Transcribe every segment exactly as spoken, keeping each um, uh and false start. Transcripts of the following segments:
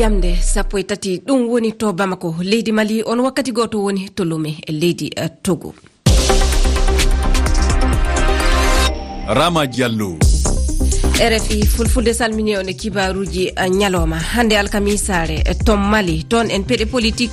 Jamde sappo e tati, ɗum woni to Bamako, leydi Mali, on wakkati gooto woni to Lome, leydi, eh, Togo. Rama Diallo. R F I Fulfulde salmini on e kibaaruuji, eh, ñalooma hannde alkamisaare, eh, to Mali. Toon en peɗe politik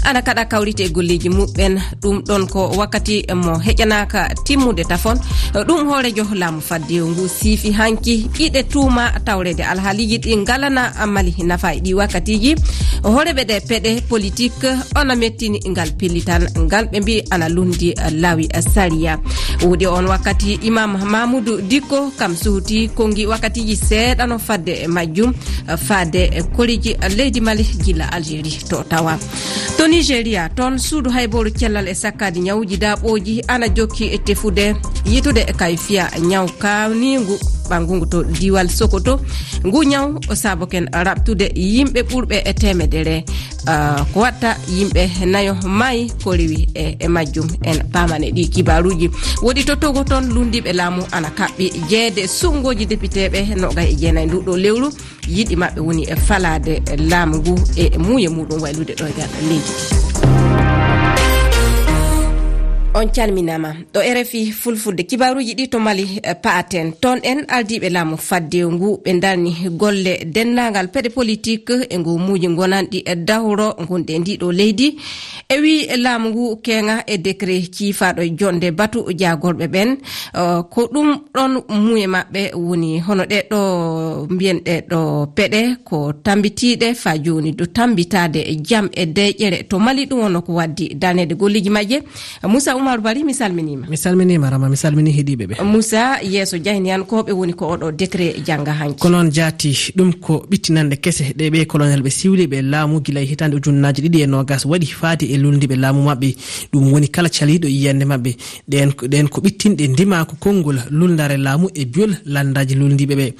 ana kaɗa kawrite e golleeji muɓɓen. Ɗum ɗon ko wakkati mo heƴanaaka timmude tafon. Ɗum hooreejo laamu faddewu ngu siifi hanki iɗe tuuma tawreede alhaaliiji ɗi ngalana Mali nafa e ɗi wakkatiiji. Hooreeɓe ɗe peɗe politik ona mettini ngal pellital ngal ɓe mbi ana lundi laawi sariya. Woodi on wakkati Imam Mamoudou Dikko kam suuti konngi wakkatiiji seeɗa no fadde e majjum, faade e koriji leydi Mali gila Algérie to tawa. To Nigeria, toon suudu haybooru cellal e sakkaade ñawuuji daaɓooji ana jokki e tefude, yitude e kayfiya ñaw kaawniingu ɓanngungu to diiwal Sokoto. Ngu ñaw o saaboken raɓtude yimɓe ɓurɓe e teemedere. Ah, ko watta yimɓe nayo maayi ko rewi e, e majjum. En paamane ɗi kibaaruuji. Woodi to Togo toon lunndiiɓe laamu ana kaɓɓi jeede suɓngooji depiteeɓe noogay e jeenayi ndu ɗo lewru. Yiɗi maɓɓe woni e falaade laamu ngu e muuye muɗum waylude ɗoygal leydi. On calminaama. Ɗo R F I Fulfulde, kibaaruuji ɗi to Mali, eh, pa'aten. Toon en ardiiɓe laamu faddewu ngu ɓe ndarni golle denndaangal peɗe politik e ngu muuji ngonanɗi e dawro ngonɗi e ndi ɗo leydi. E wi laamu ngu keŋa e décret ciifaaɗo e jonde batu jaagorɓe ɓen, eh, ko ɗum ɗon muuye maɓɓe woni hono ɗe ɗo mbiyen ɗe ɗo peɗe ko tambitiiɗe fa jooni do tambitaade jam e deƴƴere to Mali. Ɗum wonno ko waddi daneede golleeji majje. Moussa Oumar Bari, mi salminiima. Mi salminiima, Rama, mi salmini heɗiiɓe ɓe. Moussa, yeeso jahniyankooɓe woni ko oɗo décret jannga hanki. Ko noon jaati, ɗum ko ɓittinanɗe kese ɗe ɓe colonel ɓe siwliiɓe laamu gila e hitaande ujunnaaji ɗiɗi e noogas waɗi faati e lulndiiɓe laamu maɓɓe. Ɗum woni kala caliiɗo yiyannde maɓɓe. Ɗeen, ɗeen ko ɓittinɗe ndimaaku konngol lulndaare laamu e biyol lanndaaji lulndiiɓe ɓe.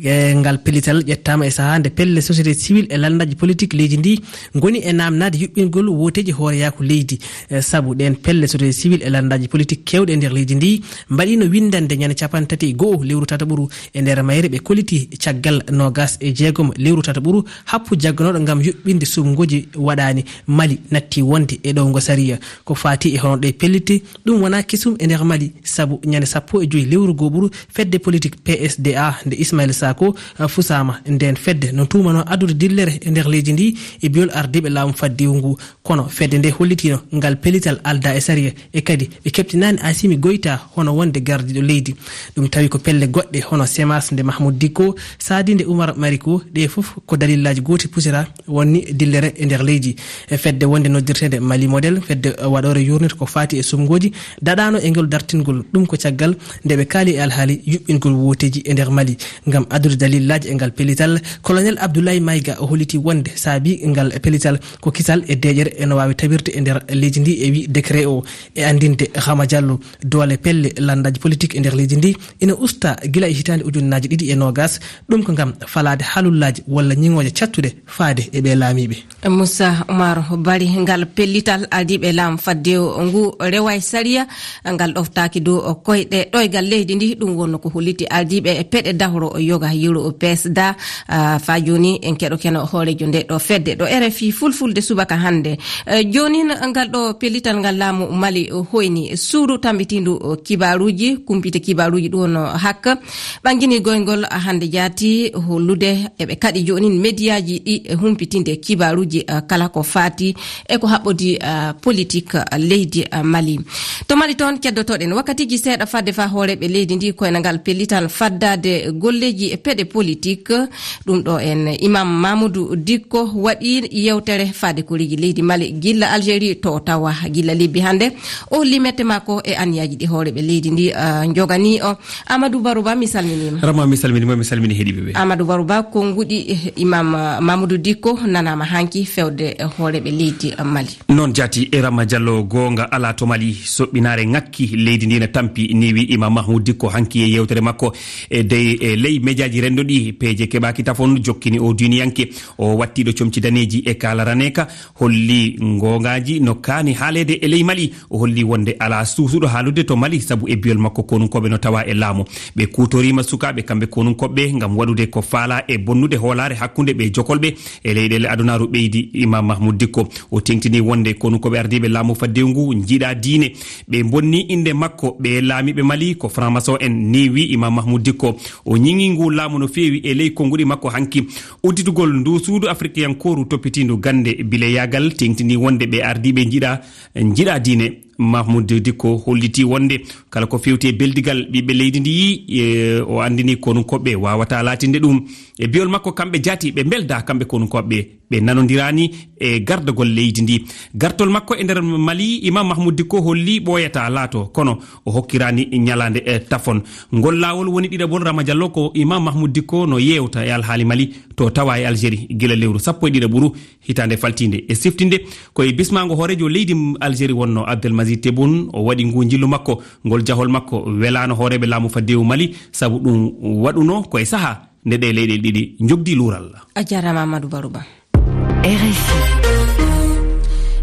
E, ngal pellital ƴettaama e sahaa nde pelle société civile e lanndaaji politik leydi ndi ngoni e naamnaade yuɓɓingol wooteeji hooreyaaku leydi. E, sabu ɗeen pelle société civile e lanndaaji politik keewɗe e nder leydi ndi mbaɗiino winndannde ñande capanɗe tati e go'o lewru tataɓuru e nder mayre ɓe kolliti caggal noogas e jeegom lewru tataɓuru happu jagganooɗo ngam yuɓɓinde suɓngooji waɗaani. Mali natti wonde e ɗowngo sariya. Ko faati e hono ɗe pellitte, ɗum wonaa kesum e nder Mali, sabu ñande sappo e joy lewru go'oɓuru fedde politik P S D A nde Ismaïla Sako, eh, fusaama. Ndeen fedde no tuumanoo addude dillere e nder leydi ndi e biyol ardiiɓe laamu faddewu ngu. Kono fedde nde hollitiino ngal pellital aldaa e sariya e kadi ɓe keɓtinaani Asimi Goyta hono wonde gardiiɗo leydi. Ɗum tawi ko pelle goɗɗe hono Semas nde Mahmoud Dikko, Sadi nde Oumar Mariko, ɗe fof ko dalillaaji gooti pusira wonni dillere e nder leydi. E fedde wonde noddirteende Mali Model, fedde waɗoore yurnita ko faati e suɓngooji, daɗaano e ngol dartingol. Ɗum ko caggal nde ɓe kaali e alhaali yuɓɓingol wooteeji e nder Mali. Ngam addude dalillaaji e ngal pellital, Colonel Abdoulaye Maïga o holliti wonde saabi ngal pellital ko kisal e deeƴere eno waawi tabirde e nder leydi ndi e wi décret o. E anndinde Hama Diallo, doole pelle lanndaaji politik e nder leydi ndi ina usta gila e hitaande ujunnaaji ɗiɗi e noogas. Ɗum ko ngam falaade halullaaji walla ñiŋooje cattuɗe faade e ɓee laamiiɓe. Moussa Oumar Bari, ngal pellital ardiiɓe laamu faddewu ngu rewa e sariya, ngal ɗoftaaki dow koyɗe ɗoygal leydi ndi. Ɗum wonno ko holliti ardiiɓe e peɗe dahro yoga yeru o P S D A. Ah, faa jooni en keɗoken hooreejo nde ɗo fedde ɗo R F I Fulfulde subaka hannde. Eh, joonin ngal ɗo pellital ngal laamu Mali hoyni suudu tambitiindu kibaaruuji, kumpite kibaaruuji ɗum wonno hak. Ɓangini goyngol hannde jaati hollude eɓe kaɗi joonin mediyaaji ɗi humpitinde kibaaruuji, eh, kala ko faati e ko haɓɓodi, eh, politik, eh, leydi, eh, Mali. To Mali toon keddotoɗen wakkatiiji seeɗa fadde faa hooreeɓe leydi ndi koynangal pellital faddaade golleeji e peɗe politik. Ɗum ɗo en Imam Mamoudou Dikko waɗi yewtere faade koriji leydi Mali gilla Algérie to tawa gilla lebbi hannde. O holli mette makko e anniyaaji ɗi hooreeɓe leydi ndi, ah, njogani o. Amadou Barouba, mi salminiima. Rama, mi salminiima, mi salmini heɗiiɓe ɓe. Amadou Barouba, konnguɗi, eh, Imam, ah, Mamoudou Dikko nanaama hanki fewde, eh, hooreeɓe leydi, ah, Mali. Noon jaati e Rama Diallo, goonga alaa to Mali, soɓɓinaare ŋakki, leydi ndi ne tampi, ni wi Imam Mahmoud Dikko hanki e yewtere makko. E dey, e ley mejaaji renndo ɗi, peeje keɓaaki tafon, jokkini o diiniyanke, o wattiiɗo comci daneeji e kaala raneeka, holli ngoongaaji no kaani haaleede e ley Mali. O Holli wonde alaa suusuɗo haalude to Mali, sabu e biyol makko konunkooɓe no tawa e laamu. Ɓe kuutoriima sukaaɓe kamɓe konunkooɓe ngam waɗude ko faalaa e bonnude hoolaare hakkunde ɓe jokolɓe e leyɗeele adunaaru, ɓeydi Imam Mahmoud Dikko. O teŋtini wonde konunkooɓe ardiiɓe laamu faddewu ngu njiɗa diine. Ɓe bonni innde makko, ɓe laamiiɓe Mali ko franc-maçon en, ni wi Imam Mahmoud Dikko. O ñiŋi ngu laamu no feewi e ley konnguɗi makko hanki. Udditugol ndu suudu afrikiyankooru toppitiindu gannde bileyaagal teŋtini wonde ɓe ardiiɓe njiɗa, njiɗa diine. Mahmoud Dikko holliti wonde kala ko fewti e beldigal ɓiɓɓe leydi ndi, e, o anndini konunkooɓe waawata laatinde ɗum. E biyol makko, kamɓe jaati ɓe mbelda kamɓe konunkooɓe, ɓe nanondiraani e gardagol leydi ndi. Gartol makko e nder Mali, Imam Mahmoud Dikko holli ɓooyata laato, kono o hokkiraani ñalaande, e, tafon. Ngol laawol woni ɗiɗaɓol Rama Diallo ko Imam Mahmoud Dikko no yeewta e alhaali Mali to tawa e Algérie gila lewru sappo e ɗiɗaɓuru hitaande faltiinde. E siftinde ko e bismaango hooreejo leydi Algérie wonno Abdelmajid Tebboune, o waɗi ngu njillu makko. Ngol jahol makko welaano hooreeɓe laamu faddewu Mali, sabu ɗum waɗuno ko e saha nde ɗe leyɗe ɗiɗi njogdi luural. A jarama Amadou Barouba. R F I.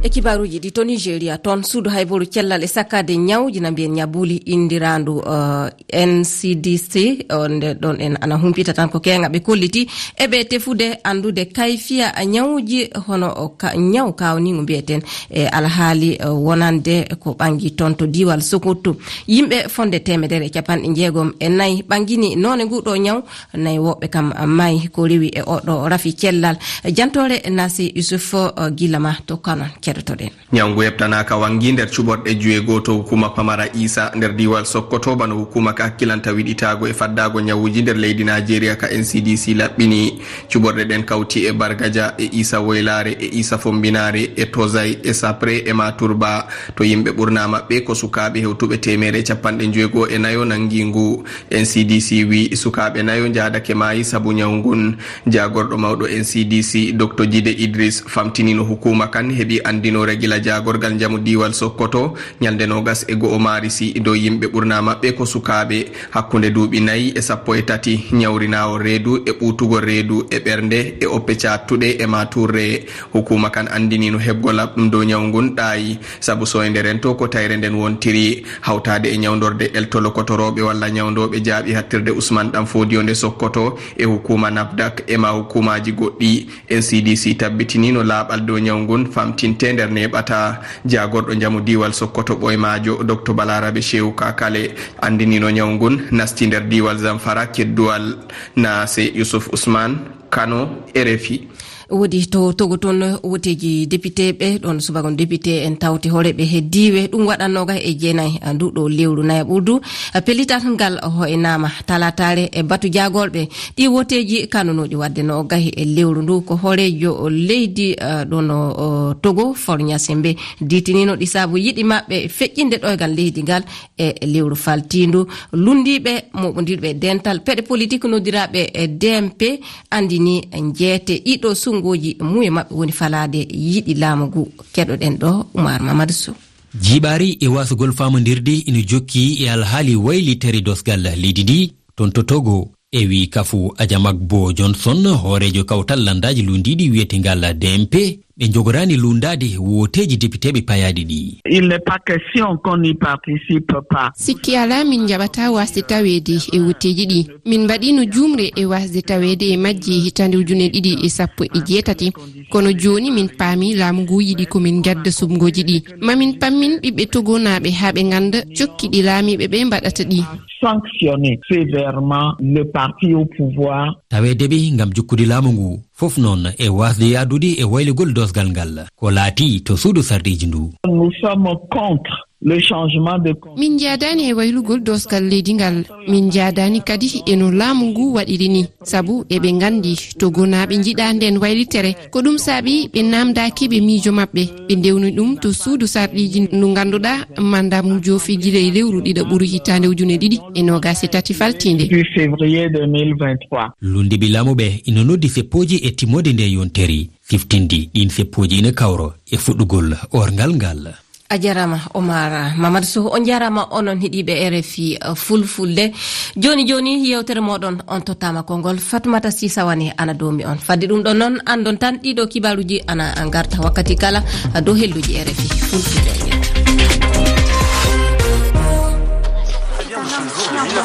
E kibaaruuji ɗi to Nigeria, toon suudu hayboru cellal e sakkaade ñawji na mbiyen ñabuli inndirandu, eh, N C D C, o, nde ɗon en ana humpita tan ko keeŋa ɓe kolliti e ɓe tefude anndude kayfiya ñawji hono o ka-, ñaw kawniingu mbiyeten e alhaali, eh, wonande ko ɓangi toon to diiwal Sokoto. Yimɓe fonde teemedere e capanɗe jeegom e nayi ɓangini noone ngu ɗo ñaw, nayi woɓɓe kam maayi ko rewi e oɗo rafi cellal. Jantoore Nasi Yusuf, eh, gila ma to Kano keɗotoɗen. Ñawngu heɓtanaaka wanngi nder cuɓorɗe juwe goo to hukuma pamara Isa nder diiwal Sokoto, bano hukuma ka hakkilanta wiɗitaago e faddaago ñawuji nder leydi Najeriya ka N C D C laɓɓini. Cuɓorɗe ɗen kawti e Bargaja, e Isa Woylaare, e Isa Fombinaare, e Tozay, e Sapre, e Maturba. To yimɓe ɓurna maɓɓe ko sukaaɓe hewtuɓe teemere e capanɗe njoy goo e nayo nangi ngu. N C D C wi sukaaɓe nayo njaadake maayi sabu ñaw ngun. Jaagorɗo mawɗo N C D C, Doctor Jide Idris, famtinino hukuma kan heɓi andinoore gila jaagorgal njamu diiwal Sokoto ñalnde noogas e go'o Maarisi dow yimɓe ɓurna maɓɓe ko sukaaɓe hakkunde duuɓi nayi e sappo e tati, ñawrinaawol reedu e ɓuutugol reedu e ɓernde e oppe caattuɗe e maaturre. Hukuma kan andinino heɓgol laɓɗum dow ñaw ngun ɗaayi. Sabu soynde rento ko tayre nden wontiri, hawtaade e ñawndorde eltolo kotorooɓe walla ñawndooɓe jaaɓi hattirde Usman Ɗan Foodiyo nde Sokoto e hukuma nafdak e ma hukumaaji goɗɗi. N C D C tabbitinino laaɓal dow ñaw ngun famtinte nder neeɓata. Jaagorɗo njamu diiwal Sokoto ɓoymaajo, Doctor Balarabe Shehu Kakale, andinino ñaw ngun nasti nder diiwal Zamfara kedduwal. Naase Yusuf Usman, Kano, R F I. Woodi to Togo toon, woteeji depiteeɓe, ɗoon subaka on depite en tawti hooreeɓe he diiwe, ɗum waɗa noogas e jeenayi, a, ndu ɗo lewru nayaɓurdu. A, pellital ngal hoynaama talaataare e batu jaagorɓe. Ɗi woteeji kanunooɗi waɗde noogas e lewru ndu ko hooreejo leydi, a, ɗoon o, o Togo, Faure Gnassingbé, diitinino ɗi sabu yiɗi maɓɓe feƴƴinde ɗoygal leydi ngal e lewru faltiindu. Lunndiiɓe mooɓondirɓe e dental peɗe politik noddiraaɓe e D M P andini njeete ɗiɗo sunngooji muye maɓɓe woni falaade yiɗi laamu ngu. Keɗoɗen ɗo Oumar Mamadou Sow. Jiiɓaari e waasugol faamondirde ina jokki e alhaali waylitere dosgal leydi ndi toon to Togo. E wi kafu Ajamagbo Johnson, hooreejo kawtal lanndaaji lunndiiɗi wiyetengal D M P, ɓe njogoraani lunndaade woteeji depiteeɓe payaaɗi ɗi. Il n'est pas question qu'on n'y participe pas. Sikki alaa, min njaɓataa waasde taweede e woteeji ɗi. Min mbaɗiino juumre e waasde taweede e majji e hitaande ujune ɗiɗi e sappo e jeetati. Kono jooni min paami laamu ngu yiɗi ko min ngadda suɓngooji ɗi. Ma min pammin ɓiɓɓe togonaaɓe haa ɓe ngannda cokki ɗi laamiiɓe ɓe mbaɗata ɗi. Sanctionner sévèrement le parti au pouvoir. Taweede ɓe ngam jokkude laamu ngu, fof noon e waasde yaadude e waylugol doosgal ngal, ko laati to suudu sarɗiiji ndu. Nous sommes contre le changement de con- Min njaadaani e waylugol doosgal leydi ngal. Min njaadaani kadi e no laamu ngu waɗiri ni, sabu eɓe nganndi togonaaɓe njiɗaa nden waylitere. Ko ɗum saabi ɓe naamndaaki ɓe miijo maɓɓe. Ɓe ndewni ɗum to suudu sarɗiiji ndu ngannduɗaa mandat mum joofi gila e lewru ɗiɗaɓuru hitaande ujune ɗiɗi e noogas e tati faltiinde. Du février deux mille vingt-trois. Lunndiiɓe laamu ɓe ina noddi seppooji e timmoode nde yontere. Siftinde ɗiin seppooji ina kawro e fuɗɗugol orngal ngal. A jarama, Omar Mamadou Sow. On jarama, onon heɗiiɓe R F I Fulfulde. Jooni jooni, yewtere moɗon on tottama konngol. Fatoumata Sy Sawane ana doomi on. Fadde ɗum ɗon noon, anndon tan ɗiɗo kibaaruuji ana ngarta wakkati kala dow helluuji R F I Fulfulde.